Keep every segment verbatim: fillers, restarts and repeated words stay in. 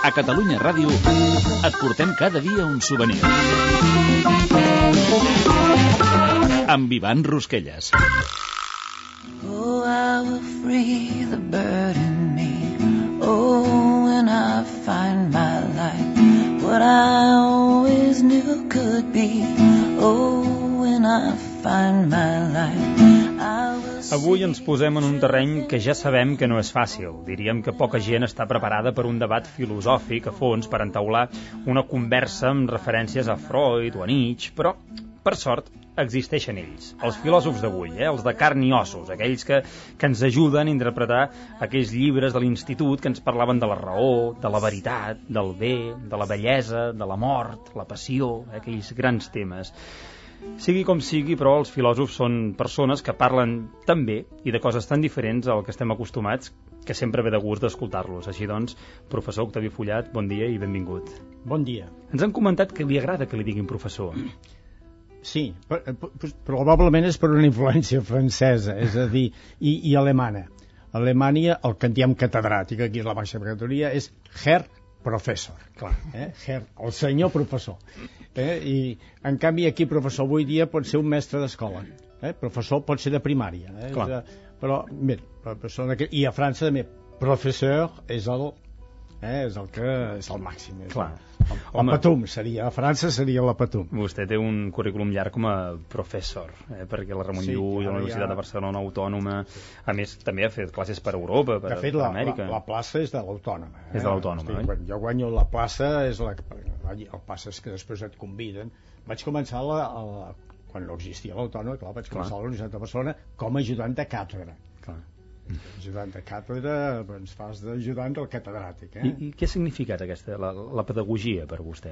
A Catalunya Ràdio et portem cada dia un souvenir. Amb Ivan Rosquelles. Oh, I will free the bird in me. Oh, when I find my life, what I always knew could be. Oh, when I find my life, I will... Avui ens posem en un terreny que ja sabem que no és fàcil. Diríem que poca gent està preparada per un debat filosòfic a fons per entaular una conversa amb referències a Freud o a Nietzsche, però, per sort, existeixen ells, els filòsofs d'avui, eh? Els de carn i ossos, aquells que, que ens ajuden a interpretar aquells llibres de l'institut que ens parlaven de la raó, de la veritat, del bé, de la bellesa, de la mort, la passió, eh? Aquells grans temes. Sigui com sigui, però els filòsofs són persones que parlen tan bé i de coses tan diferents al que estem acostumats que sempre ve de gust d'escoltar-los. Així doncs, professor Octavi Fullat, bon dia i benvingut. Bon dia. Ens han comentat que li agrada que li diguin professor. Sí, probablement és per una influència francesa, és a dir, i, i alemana. A Alemanya, el que en diem catedràtic, aquí és la baixa categoria, és Herr Professor, clar, eh? Herr, el senyor professor. Eh? I, en canvi, aquí professor avui dia pot ser un mestre d'escola. Eh? Professor pot ser de primària. Eh? De, però, bé, i a França també, professeur és el, eh? és el que és el màxim. És clar. El, el patum seria, a França seria la patum. Vostè té un currículum llarg com a professor, eh? Perquè la Ramon sí, Llull, la Universitat ja... de Barcelona Autònoma, a més també ha fet classes per Europa, per, de fet, per la, Amèrica. La, la plaça és de l'Autònoma. Eh? És de l'Autònoma, Estic, eh? Jo guanyo la plaça, és la, el passa és que després et conviden. Vaig començar la, la, quan no existia l'Autònoma, clar, vaig començar clar. a la Universitat de Barcelona com a ajudant de càtedra. Clar. Ajudant de càtedra, doncs fas d'ajudant del catedràtic. Eh? I, I què ha significat aquesta, la, la pedagogia per vostè?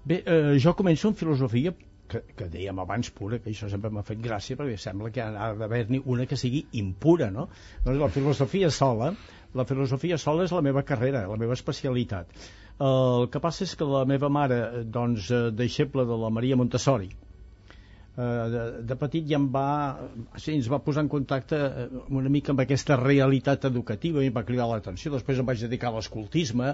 Bé, eh, jo començo en filosofia, que, que dèiem abans pura, que això sempre m'ha fet gràcia, perquè sembla que ha d'haver-n'hi una que sigui impura, no? Doncs la filosofia sola, la filosofia sola és la meva carrera, la meva especialitat. El que passa és que la meva mare, doncs, deixeble de la Maria Montessori, De, de petit ja em va, sí, ens va posar en contacte una mica amb aquesta realitat educativa i em va cridar l'atenció. Després em vaig dedicar a l'escoltisme,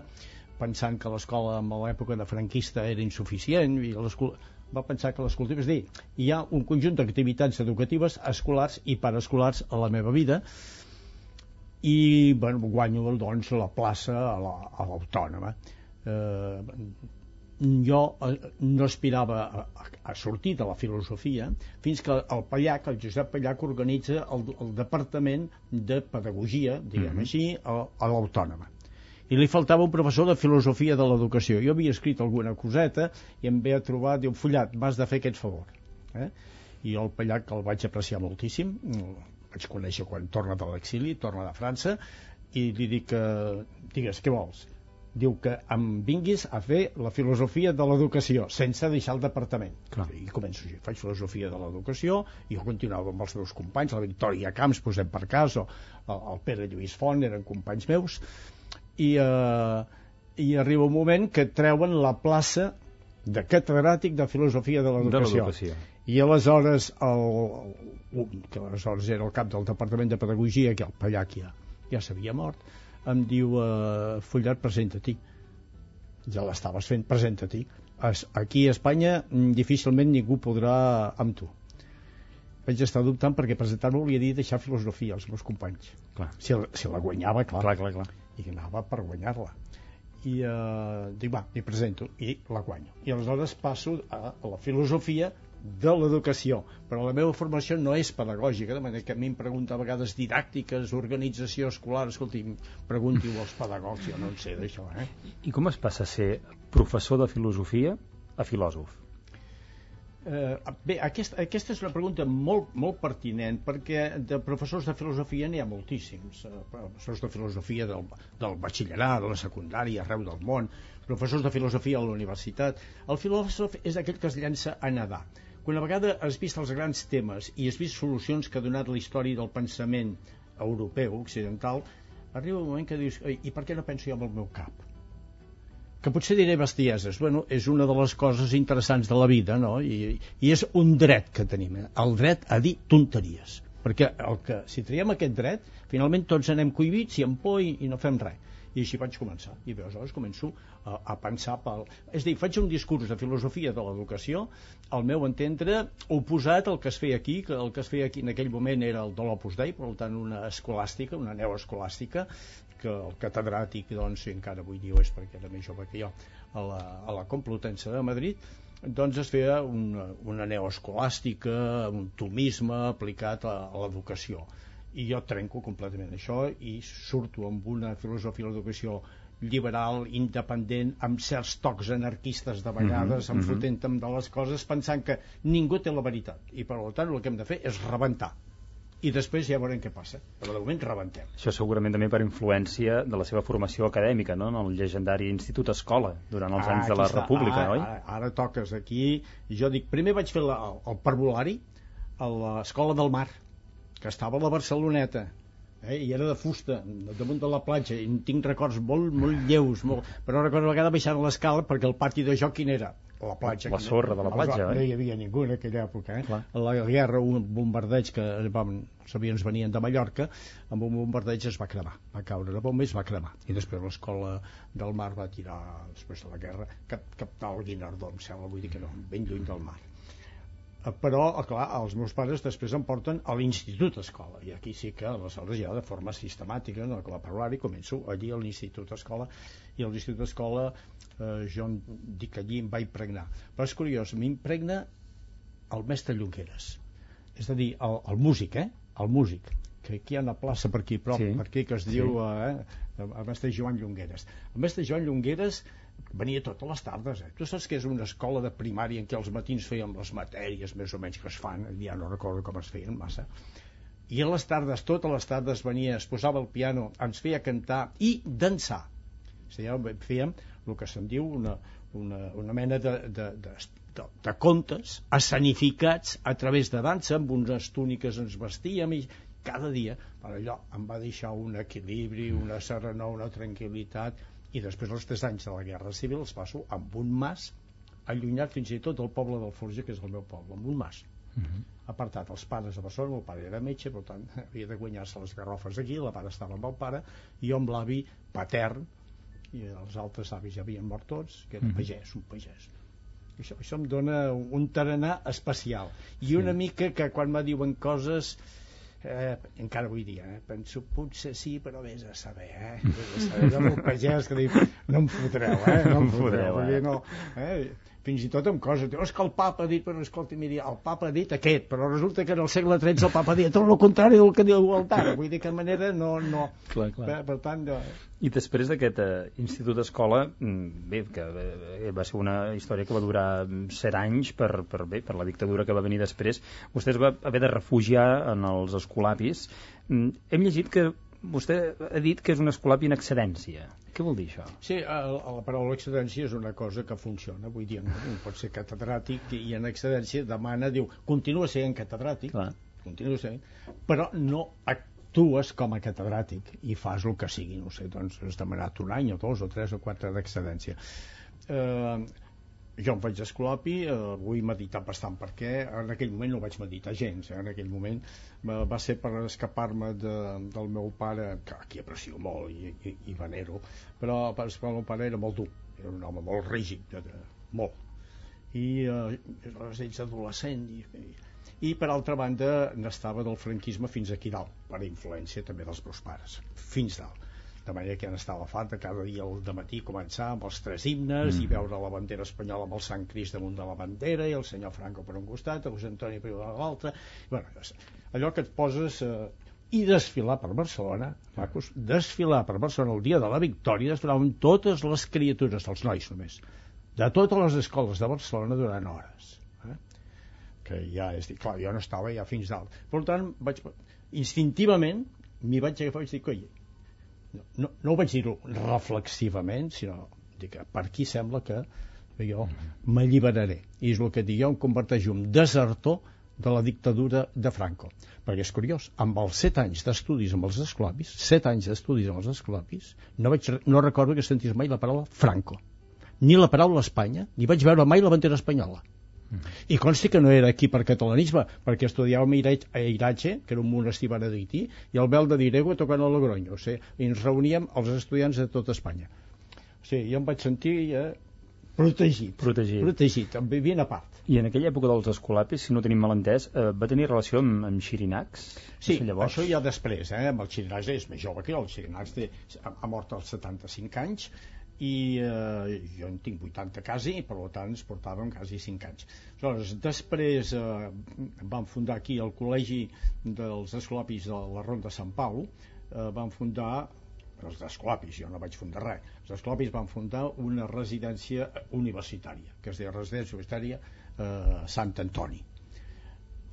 pensant que l'escola en l'època de franquista era insuficient, i va pensar que l'escoltisme, és dir, hi ha un conjunt d'activitats educatives escolars i paraescolars a la meva vida, i bueno, guanyo doncs la plaça a l'Autònoma. Eh, jo no aspirava a, a, a sortir de la filosofia fins que el Pallac, el Josep Pallac, organitza el, el departament de pedagogia, diguem mm-hmm. així, a, a l'Autònoma. I li faltava un professor de filosofia de l'educació. Jo havia escrit alguna coseta i em ve a trobar, diu, Fullat, m'has de fer aquest favor. Eh? I el Pallac el vaig apreciar moltíssim, el vaig conèixer quan torna de l'exili, torna de França, i li dic, eh, digues, què vols? Diu que em vinguis a fer la filosofia de l'educació sense deixar el departament. Clar. I començo així, faig filosofia de l'educació i jo continuava amb els meus companys, la Victòria Camps, posem per cas, o el Pere Lluís Font, eren companys meus, i, eh, i arriba un moment que treuen la plaça de catedràtic de filosofia de l'educació. I aleshores el, el, que aleshores era el cap del departament de pedagogia, que el Pallac ja, ja s'havia mort, em diu, uh, Fullat, presenta-t'hi. Ja l'estaves fent, presenta-t'hi. Aquí a Espanya difícilment ningú podrà amb tu. Vaig estar dubtant perquè presentar-me volia dir deixar filosofia als meus companys. Clar. Si, si la guanyava, clar. Clar, clar, clar. I anava per guanyar-la. I uh, dic, va, m'hi presento, i la guanyo. I aleshores passo a, a la filosofia de l'educació, però la meva formació no és pedagògica, de manera que a mi em pregunta a vegades didàctiques, organització escolar, escolti, pregunti-ho als pedagogs, jo no en sé d'això, eh? I com es passa a ser professor de filosofia a filòsof? Eh, bé, aquesta, aquesta és una pregunta molt, molt pertinent, perquè de professors de filosofia n'hi ha moltíssims, eh, professors de filosofia del, del batxillerat, de la secundària, arreu del món, professors de filosofia a la universitat. El filòsof és aquell que es llença a nedar. Quan a vegada has vist els grans temes i has vist solucions que ha donat la història del pensament europeu, occidental, arriba un moment que dius, i per què no penso jo amb el meu cap? Que potser diré bestieses. Bueno, és una de les coses interessants de la vida, no? I, i és un dret que tenim, eh? El dret a dir tonteries. perquè el que, si traiem aquest dret, finalment tots anem cohibits i amb por i, i no fem res. I així vaig començar, i aleshores començo a, a pensar pel... És a dir, faig un discurs de filosofia de l'educació, al meu entendre, oposat al que es feia aquí, que el que es feia aquí en aquell moment era el de l'Opus Dei, per tant una escolàstica, una neoescolàstica, que el catedràtic, doncs, si encara avui dia ho és perquè era més jove que jo, a la, a la Complutense de Madrid, doncs es feia una, una neoescolàstica, un tomisme aplicat a, a l'educació. I jo trenco completament això i surto amb una filosofia de l'educació liberal, independent, amb certs tocs anarquistes de vegades, mm-hmm, enfotent-me de les coses, pensant que ningú té la veritat. I per tant el que hem de fer és rebentar. I després ja veurem què passa. Però de moment rebentem. Això segurament també per influència de la seva formació acadèmica, no? En el llegendari Institut Escola, durant els ah, anys de la està. República, ah, oi? Ara, ara toques aquí. I jo dic, primer vaig fer la, el, el parvulari a l'Escola del Mar, que estava a la Barceloneta, eh? I era de fusta, damunt de la platja, i tinc records molt, molt lleus, molt... però recordo una vegada baixant l'escala perquè el pati de joc quin era? La platja. La sorra de la platja, eh? No hi havia ningú en aquella època, eh? A la guerra, un bombardeig que vam, els avions venien de Mallorca, amb un bombardeig es va cremar, va caure una bomba i es va cremar, i després l'escola del Mar va tirar, després de la guerra, cap, cap tal Guinardó, em sembla, vull dir que no, ben lluny del mar. Però, clar, els meus pares després em porten a l'Institut Escola, i aquí sí que aleshores ja de forma sistemàtica, no, que la parlar-hi, començo allí a l'Institut Escola, i a l'Institut Escola eh, jo dic que allí em va impregnar, però és curiós, m'impregna el mestre Llongueres, és a dir, el, el músic, eh? El músic, que aquí hi ha una plaça per aquí prop, sí, per aquí que es sí. diu eh, el mestre Joan Llongueres. El mestre Joan Llongueres venia totes les tardes, eh? Tu saps que és una escola de primària en què els matins fèiem les matèries més o menys que es fan, ja no recordo com es feien massa, i a les tardes, totes les tardes venia, es posava al piano, ens feia cantar i dansar. O sigui, fèiem el que se'n diu una, una, una mena de, de, de, de, de contes escenificats a través de dansa, amb unes túniques ens vestíem, i cada dia, per allò, em va deixar un equilibri, una serenor, una tranquil·litat. I després els tres anys de la Guerra Civil els passo amb un mas allunyat fins i tot del poble del Forja, que és el meu poble, amb un mas. Uh-huh. Apartat els pares a Barcelona, el pare era metge, per tant havia de guanyar-se les garrofes aquí, la mare estava amb el pare, i jo amb l'avi patern, i els altres avis ja havien mort tots, que era uh-huh. pagès, un pagès. Això, això em dona un tarannà especial. I una sí. mica que quan me diuen coses... Eh, encara avui dia, eh? Penso potser sí, però vés a saber, eh? Vés a saber, amb el pagès que diu, no em fotreu, eh? No em fotreu, eh? No, eh? Fins i tot amb coses, diu, és que el papa ha dit, però escolta, miri, el papa ha dit aquest, però resulta que en el segle tretze el papa ha dit tot el contrari del que diu el Tara, vull dir que de manera no... no. Clar, clar. Per, per tant... No. I després d'aquest eh, institut d'escola, bé, que eh, va ser una història que va durar set anys per, per, bé, per la dictadura que va venir després, vostè es va haver de refugiar en els escolapis. Hem llegit que vostè ha dit que és un escolapi en excedència. Què vol dir això? Sí, la paraula excedència és una cosa que funciona, vull dir, un pot ser catedràtic i en excedència demana, diu, continua sent catedràtic, clar. continua sent, però no actues com a catedràtic i fas el que sigui, no sé, doncs has demanat un any o dos o tres o quatre d'excedència. Eh... Jo em vaig escolapi, eh, vull meditar bastant perquè en aquell moment no vaig meditar gens, eh? En aquell moment eh, va ser per escapar-me de, del meu pare, que aquí aprecio molt i, i, i venero, però per escapar el meu pare era molt dur, era un home molt rígid, de, de, molt, i eh, ets adolescent, i, i, i per altra banda n'estava del franquisme fins aquí dalt, per influència també dels meus pares, fins dalt. De manera que ja n'estava farta cada dia al dematí començar amb els tres himnes mm. i veure la bandera espanyola amb el Sant Crist damunt de la bandera i el senyor Franco per un costat, el José Antonio per l'altre, bueno, allò que et poses eh, i desfilar per Barcelona, macos, desfilar per Barcelona el dia de la victòria, desfilar amb totes les criatures, els nois només, de totes les escoles de Barcelona durant hores, eh? Que ja és dir, clar, jo no estava ja fins dalt, per tant vaig, instintivament m'hi vaig agafar i vaig dir, coi, No, no, no ho vaig dir-ho reflexivament, sinó que per aquí sembla que jo m'alliberaré. I és el que dic, jo em converteixo en desertor de la dictadura de Franco. Perquè és curiós, amb els set anys d'estudis amb els escolapis, set anys d'estudis amb els escolapis, no, vaig, no recordo que sentís mai la paraula Franco, ni la paraula Espanya, ni vaig veure mai la bandera espanyola. I consti que no era aquí per catalanisme, perquè estudiàvem a Iratge, que era un monestir benedictí, i al Vel de Dirego tocant a Logroño, o sigui, i ens reuníem els estudiants de tota Espanya. O sigui, jo em vaig sentir eh, protegit, protegit, protegit, em vivien a part. I en aquella època dels escolapis, si no tenim malentès, eh, va tenir relació amb, amb Xirinacs? Sí, això ja després, eh, amb el Xirinacs és més jove que jo, el Xirinacs té, ha mort als setanta-cinc anys, i eh, jo en tinc vuitanta quasi, i per tant ens portàvem quasi cinc anys. Aleshores, després eh, van fundar aquí el Col·legi dels Escolapis de la Ronda de Sant Pau, eh, van fundar els Escolapis, jo no vaig fundar res, els Escolapis van fundar una residència universitària, que es deia Residència Universitària eh, Sant Antoni,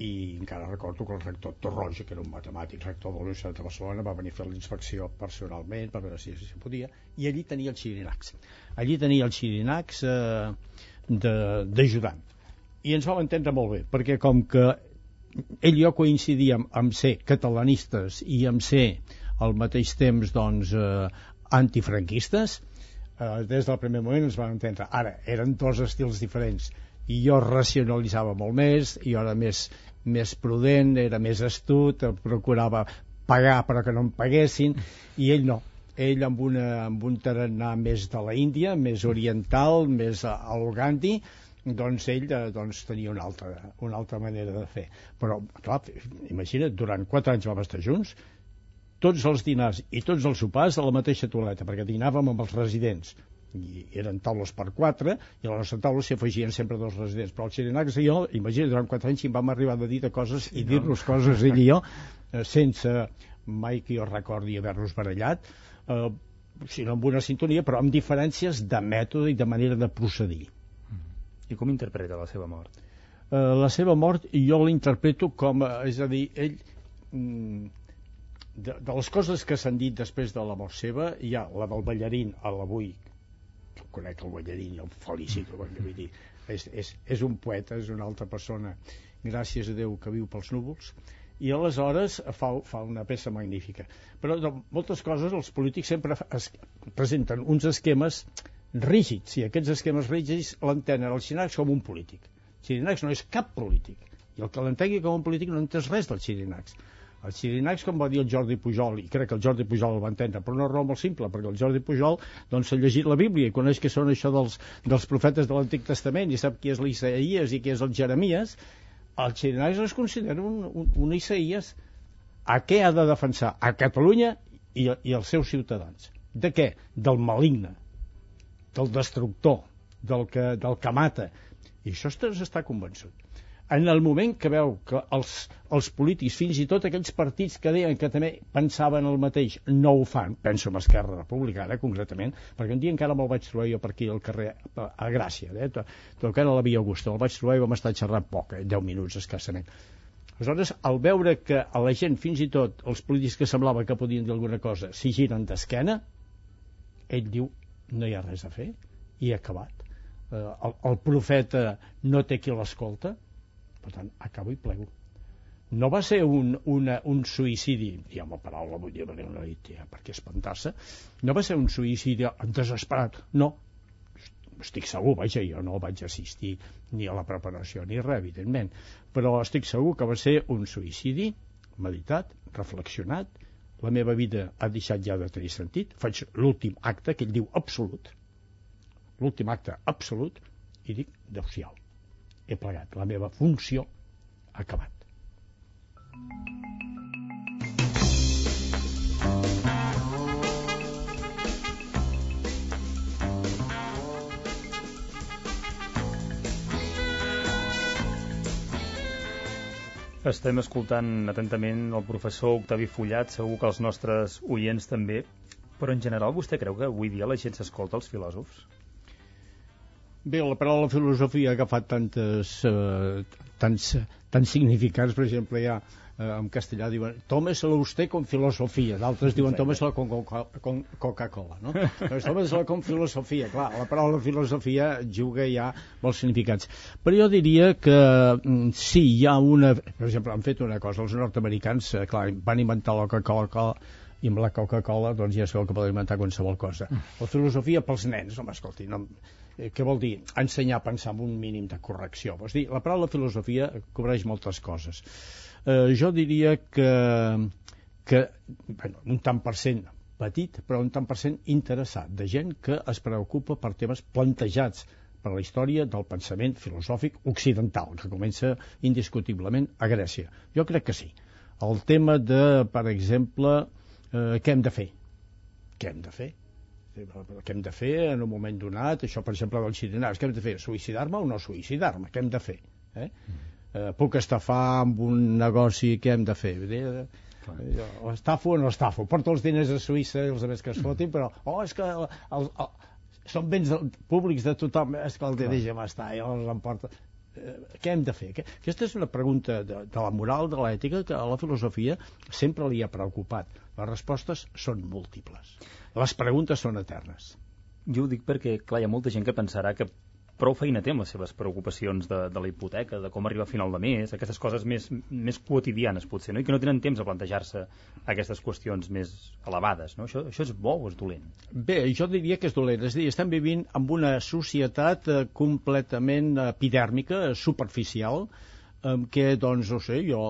i encara recordo que el rector Torroja, que era un matemàtic, rector de la Universitat de Barcelona, va venir a fer la inspecció personalment per veure si, si podia, i allí tenia el Xirinacs. Allí tenia el Xirinacs eh, d'ajudant. I ens vam entendre molt bé, perquè com que ell i jo coincidíem amb ser catalanistes i amb ser al mateix temps doncs, eh, antifranquistes, eh, des del primer moment ens vam entendre. Ara, eren dos estils diferents, i jo racionalitzava molt més, i jo era més, més prudent, era més astut, procurava pagar però que no em paguessin, i ell no. Ell amb, una, amb un tarannà més de la Índia, més oriental, més al Gandhi, doncs ell doncs, tenia una altra, una altra manera de fer. Però, clar, imagina't, durant quatre anys vam estar junts, tots els dinars i tots els sopars a la mateixa toaleta, perquè dinàvem amb els residents, i eren taules per quatre, i a la nostra taula s'hi afegien sempre dos residents, però el Xirinacs i jo, imagina't, durant quatre anys hi vam arribar a dir de coses i dir-nos coses ell i jo, eh, sense mai que jo recordi haver-nos barallat, eh, sinó amb una sintonia, però amb diferències de mètode i de manera de procedir. I com interpreta la seva mort? Eh, la seva mort jo l'interpreto com, és a dir, ell... Mm, de, de les coses que s'han dit després de la mort seva, hi ha la del ballarín a l'avui, que conec el ballarín i el felicito, vull dir, és, és, és un poeta, és una altra persona, gràcies a Déu que viu pels núvols, i aleshores fa, fa una peça magnífica. Però de moltes coses els polítics sempre es presenten uns esquemes rígids, i aquests esquemes rígids l'entenen el Xirinacs com un polític. El Xirinacs no és cap polític, i el que l'entengui com un polític no entès res del Xirinacs. El Xirinacs, com va dir el Jordi Pujol, i crec que el Jordi Pujol el va entendre, però una raó molt simple, perquè el Jordi Pujol doncs, ha llegit la Bíblia i coneix què són això dels, dels profetes de l'Antic Testament i sap qui és l'Isaïes i qui és el Jeremies. El Xirinacs es considera un, un, un Isaïes. A què ha de defensar? A Catalunya i, i els seus ciutadans. De què? Del maligne, del destructor, del que, del que mata. I això està convençut. En el moment que veu que els, els polítics, fins i tot aquells partits que deien que també pensaven el mateix, no ho fan, penso en Esquerra Republicana concretament, perquè un dia encara me'l vaig trobar jo per aquí al carrer, a Gràcia, eh, tocant a la Via Augusta, el vaig trobar i vam estar xerrant poc, eh, deu minuts escassament. Aleshores, al veure que a la gent, fins i tot els polítics que semblava que podien dir alguna cosa, s'hi giren d'esquena, ell diu, no hi ha res a fer, i ha acabat. Eh, el, el profeta no té qui l'escolta, per tant, acabo i plego. No va ser un, una, un suïcidi, diguem la paraula, vull dir, perquè no hi té per què espantar-se, no va ser un suïcidi desesperat, no. Estic segur, vaja, jo no vaig assistir ni a la preparació ni res, evidentment, però estic segur que va ser un suïcidi meditat, reflexionat, la meva vida ha deixat ja de tenir sentit, faig l'últim acte, que ell diu absolut, l'últim acte absolut, i dic, adéu-siau. He plegat, la meva funció ha acabat. Estem escoltant atentament el professor Octavi Fullat, segur que els nostres oients també, però en general vostè creu que avui dia la gent s'escolta els filòsofs? Bé, la paraula filosofia ha agafat tantes, eh, tants, tants significats, per exemple, ja eh, en castellà diuen tómeselo usted con filosofia, d'altres diuen tómeselo con, con Coca-Cola, no? Doncs tómeselo con filosofia, clar, la paraula filosofia juga ja molts significats. Però jo diria que sí, hi ha una... Per exemple, han fet una cosa, els nord-americans, eh, clar, van inventar la Coca-Cola i amb la Coca-Cola doncs ja sabeu que podeu inventar qualsevol cosa. La filosofia pels nens, home, escolti, no, eh, què vol dir? Ensenyar a pensar amb un mínim de correcció. Vols dir, la paraula filosofia cobreix moltes coses. Eh, jo diria que, que bueno, un tant per cent petit, però un tant per cent interessat, de gent que es preocupa per temes plantejats per la història del pensament filosòfic occidental, que comença indiscutiblement a Grècia. Jo crec que sí. El tema de, per exemple, eh, què hem de fer? Què hem de fer? Què hem de fer en un moment donat? Això, per exemple, dels cirinars. Què hem de fer? Suïcidar-me o no suïcidar-me? Què hem de fer? Eh? Eh, puc estafar amb un negoci? Què hem de fer? Eh, o estafo o no estafo? Porto els diners a Suïssa i els altres que es fotin, però oh, és que el, el, el, són béns públics de tothom, és que el de deixa'm estar, i els emporta. Què hem de fer? Aquesta és una pregunta de, de la moral, de l'ètica, que a la filosofia sempre li ha preocupat. Les respostes són múltiples. Les preguntes són eternes. Jo ho dic perquè, clar, hi ha molta gent que pensarà que prou feina té amb les seves preocupacions de, de la hipoteca, de com arribar a final de mes, aquestes coses més, més quotidianes, potser, no? I que no tenen temps a plantejar-se aquestes qüestions més elevades, no? Això, això és bo o és dolent? Bé, jo diria que és dolent. És a dir, estem vivint en una societat eh, completament epidèrmica, superficial, en què, doncs, no sé, jo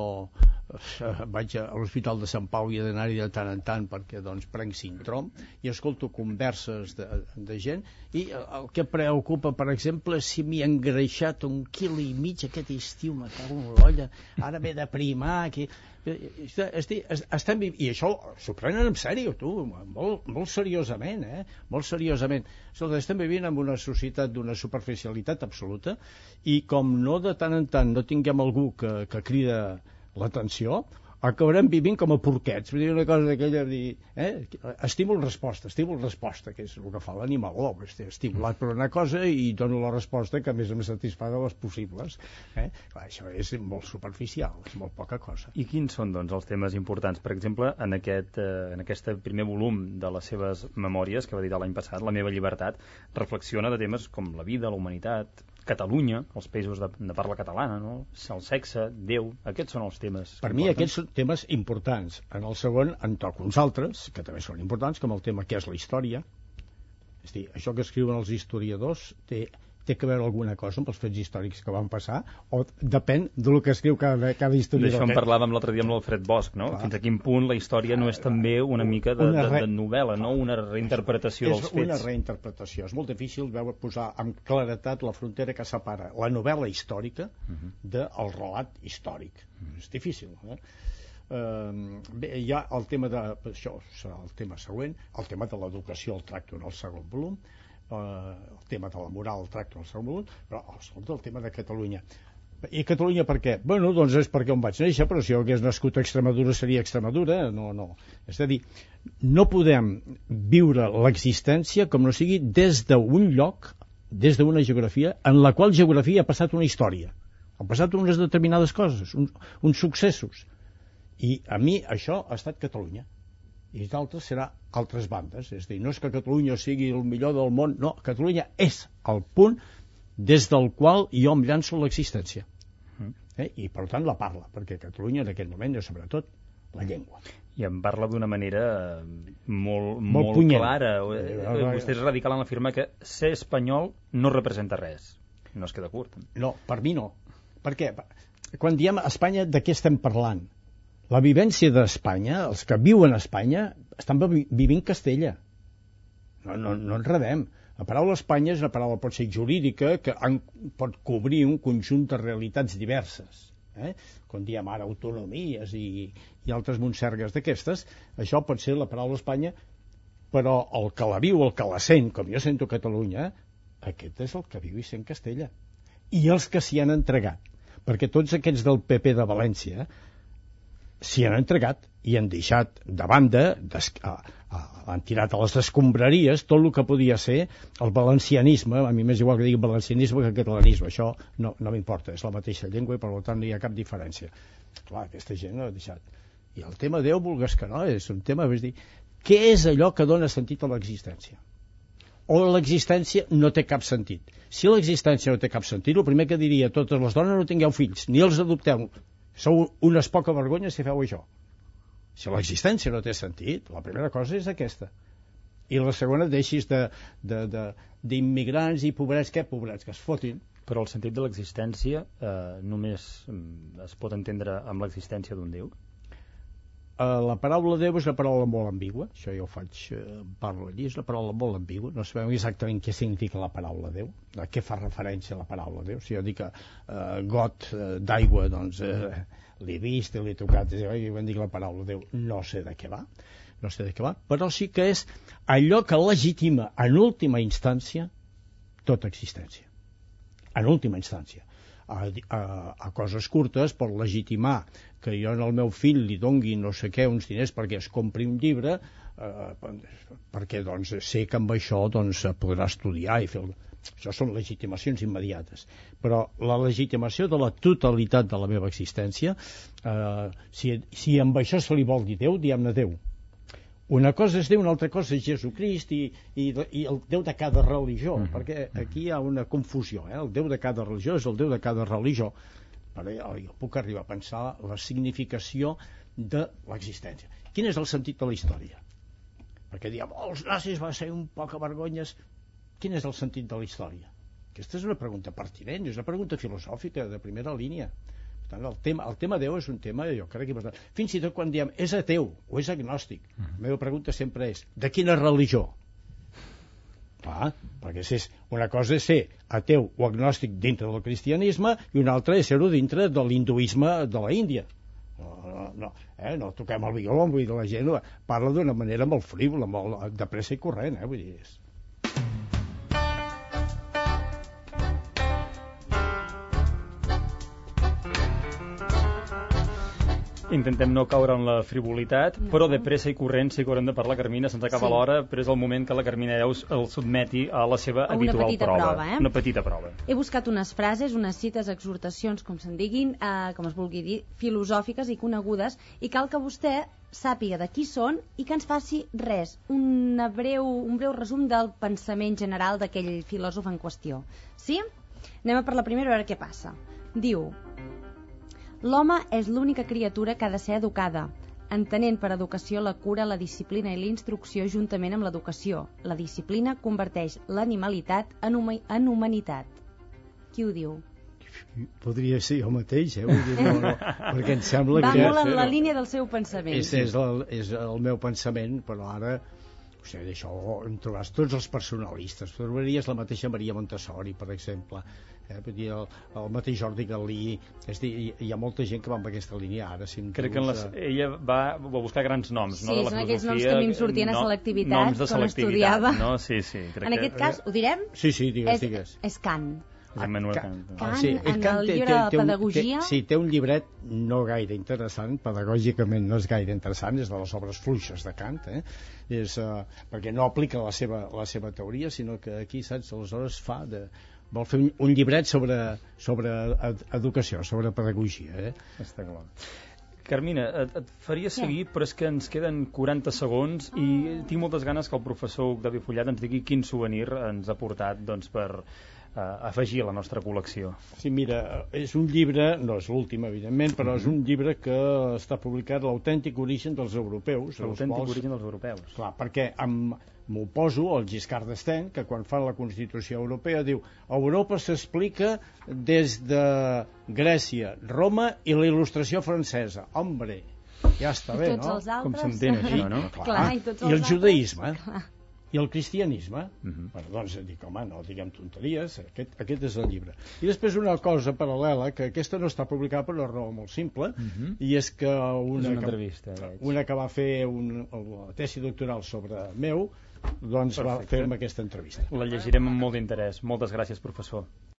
eh, vaig a l'Hospital de Sant Pau i he d'anar-hi de tant en tant perquè, doncs, prenc síndrom i escolto converses de, de gent i el que preocupa, per exemple, si m'hi he engreixat un quilo i mig aquest estiu, me cago en l'olla, ara m'he de primar, que... Estem... I això s'ho prenen en sèrio, tu, molt, molt seriosament, eh? Molt seriosament. Estem vivint en una societat d'una superficialitat absoluta i com no de tant en tant no tinguem algú que, que crida l'atenció, acabarem vivint com a porquets. Vull dir una cosa d'aquella, dir, eh? estímul-resposta, estímul-resposta, que és el que fa l'animal, oh, estimulat per una cosa i dono la resposta que més em satisfà de les possibles. Eh? Clar, això és molt superficial, és molt poca cosa. I quins són, doncs, els temes importants? Per exemple, en aquest, eh, en aquest primer volum de les seves memòries, que va editar l'any passat, La meva llibertat, reflexiona de temes com la vida, la humanitat, Catalunya, els països de, de parla catalana, no? El sexe, Déu, aquests són els temes. Per mi aquests són temes importants. En el segon en toco uns altres, que també són importants, com el tema què és la història. És a dir, això que escriuen els historiadors té, té que veure alguna cosa amb els fets històrics que van passar, o depèn del que escriu cada, cada historiador. D'això en parlàvem l'altre dia amb l'Alfred Bosch, no? Clar. Fins a quin punt la història no és també una mica de, una re... de, de novel·la, no? Una reinterpretació és, dels és fets. És una reinterpretació. És molt difícil veure posar amb claretat la frontera que separa la novel·la històrica uh-huh. del relat històric. Uh-huh. És difícil, eh? Uh, bé, hi ha el tema de... Això serà el tema següent. El tema de l'educació el tracto en el segon volum. Uh, el tema de la moral el tracto en el segon volum, però escolta, el tema de Catalunya. I Catalunya per què? Bueno, doncs és perquè on vaig néixer, però si jo hagués nascut a Extremadura seria Extremadura. No, no. És a dir, no podem viure l'existència com no sigui des d'un lloc, des d'una geografia, en la qual geografia ha passat una història. Han passat unes determinades coses, uns, uns successos. I a mi això ha estat Catalunya. I d'altres serà altres bandes. És a dir, no és que Catalunya sigui el millor del món, no, Catalunya és el punt des del qual jo em llanço l'existència. Eh? I per tant la parla, perquè Catalunya en aquest moment és sobretot la llengua. I en parla d'una manera molt, molt, molt clara. Vostè és radical en l'afirmar que ser espanyol no representa res. No es queda curt. No, per mi no. Per què? Quan diem Espanya, de què estem parlant? La vivència d'Espanya, els que viuen a Espanya, estan vivint Castella. No, no, no enredem. La paraula Espanya és una paraula, pot ser jurídica, que en, pot cobrir un conjunt de realitats diverses. Eh? Quan diem ara autonomies i, i altres montsergues d'aquestes, això pot ser la paraula Espanya, però el que la viu, el que la sent, com jo sento Catalunya, aquest és el que viu i sent Castella. I els que s'hi han entregat. Perquè tots aquests del P P de València s'hi han entregat i han deixat de banda, a, a, han tirat a les escombraries tot el que podia ser el valencianisme. A mi m'és igual que digui valencianisme que catalanisme, això no, no m'importa, és la mateixa llengua i per tant no hi ha cap diferència. Clar, aquesta gent no ha deixat. I el tema Déu, vulgues que no, és un tema, és dir, què és allò que dona sentit a l'existència? O l'existència no té cap sentit. Si l'existència no té cap sentit, el primer que diria a totes les dones: no tingueu fills, ni els adopteu. Sou unes poca vergonyes si feu això. Si l'existència no té sentit, la primera cosa és aquesta. I la segona, deixis de, de, de, d'immigrants i pobrets, què pobrets, que es fotin. Però el sentit de l'existència eh, només es pot entendre amb l'existència d'un Déu? Uh, la paraula Déu és una paraula molt ambigua, això ja ho faig, uh, parlo allí, és una paraula molt ambigua, no sabem exactament què significa la paraula Déu, a què fa referència la paraula Déu. Si jo dic uh, got uh, d'aigua, doncs uh, l'he vist, l'he tocat, i van dir la paraula Déu, no sé de què va, no sé de què va, però sí que és allò que legitima en última instància tota existència. En última instància. A, a, a coses curtes, per legitimar que jo al meu fill li dongui no sé què, uns diners perquè es compri un llibre, eh, perquè doncs, sé que amb això doncs, podrà estudiar i fer... Això són legitimacions immediates. Però la legitimació de la totalitat de la meva existència, eh, si, si amb això se li vol dir Déu, diguem-ne Déu. Una cosa és Déu, una altra cosa és Jesucrist i, i, i el Déu de cada religió, mm -hmm. perquè aquí hi ha una confusió, eh? El Déu de cada religió és el Déu de cada religió. Però jo, jo puc arribar a pensar la significació de l'existència. Quin és el sentit de la història? Perquè diem, oh, els nazis van ser un poc vergonyes. Quin és el sentit de la història? Aquesta és una pregunta pertinent, és una pregunta filosòfica de primera línia. El tema, el tema Déu és un tema, jo crec que important. Fins i tot quan diem és ateu o és agnòstic, uh -huh. la meva pregunta sempre és de quina religió? Clar, perquè si és, una cosa és ser ateu o agnòstic dintre del cristianisme i una altra és ser-ho dintre de l'hinduisme de la Índia. No, no, no, eh? no toquem el violó, vull dir, la gent parla d'una manera molt frívola, molt de pressa i corrent, eh? Vull dir, és... Intentem no caure en la frivolitat, no. Però de pressa i corrent sí que haurem de parlar, Carmina, se'ns acaba sí. l'hora, però és el moment que la Carmina Eus el sotmeti a la seva a habitual una prova. prova eh? Una petita prova. He buscat unes frases, unes cites, exhortacions, com se'n diguin, eh, com es vulgui dir, filosòfiques i conegudes, i cal que vostè sàpiga de qui són i que ens faci res, una breu, un breu resum del pensament general d'aquell filòsof en qüestió. Sí? Anem a per la primera a veure què passa. Diu: l'home és l'única criatura que ha de ser educada, entenent per educació la cura, la disciplina i la instrucció juntament amb l'educació. La disciplina converteix l'animalitat en, huma en humanitat. Qui ho diu? Podria ser jo mateix, eh? Vull dir, no, no, perquè em sembla Va que... Va molt en la línia del seu pensament. És, és, el, és el meu pensament, però ara... O sigui, d'això en trobaràs tots els personalistes. Trobaries la mateixa Maria Montessori, per exemple. Eh? El, el mateix Jordi Galí. És dir, hi ha molta gent que va amb aquesta línia ara. Si crec que les, ella va, va buscar grans noms, sí, no? De la són filosofia, aquells noms que a mi em sortien a selectivitat, noms de quan estudiava. No? Sí, sí, crec en aquest que... cas, ho direm? Sí, sí, digues, és, digues. És Kant. És Immanuel Kant. Kant, sí, en Kant el té, llibre té, de té un, pedagogia... Té, sí, té un llibret no gaire interessant, pedagògicament no és gaire interessant, és de les obres fluixes de Kant, eh? és, uh, perquè no aplica la seva, la seva teoria, sinó que aquí, saps, aleshores fa de... vol fer un, un llibret sobre, sobre ed educació, sobre pedagogia. Eh? Està clar. Carmina, et, et faria seguir, però és que ens queden quaranta segons i tinc moltes ganes que el professor Octavi Follat ens digui quin souvenir ens ha portat doncs, per uh, afegir a la nostra col·lecció. Sí, mira, és un llibre, no és l'últim, evidentment, però mm-hmm. és un llibre que està publicat, L'autèntic origen dels europeus. L'autèntic quals, origen dels europeus. Clar, perquè m'oposo al Giscard d'Estaing, que quan fan la Constitució Europea diu Europa s'explica des de Grècia, Roma i la il·lustració francesa. Hombre, ja està bé, no? Altres... Com s'entén això, no? Clar, clar, i, tots els I el judaïsme. Clar. I el cristianisme. Uh-huh. Bueno, doncs dic, home, no diguem tonteries, aquest, aquest és el llibre. I després una cosa paral·lela, que aquesta no està publicada per una raó molt simple, uh-huh. i és que una, és una entrevista, que, una que va fer un, la tesi doctoral sobre meu, doncs Perfecte. Va fer-me aquesta entrevista. La llegirem amb molt d'interès. Moltes gràcies, professor.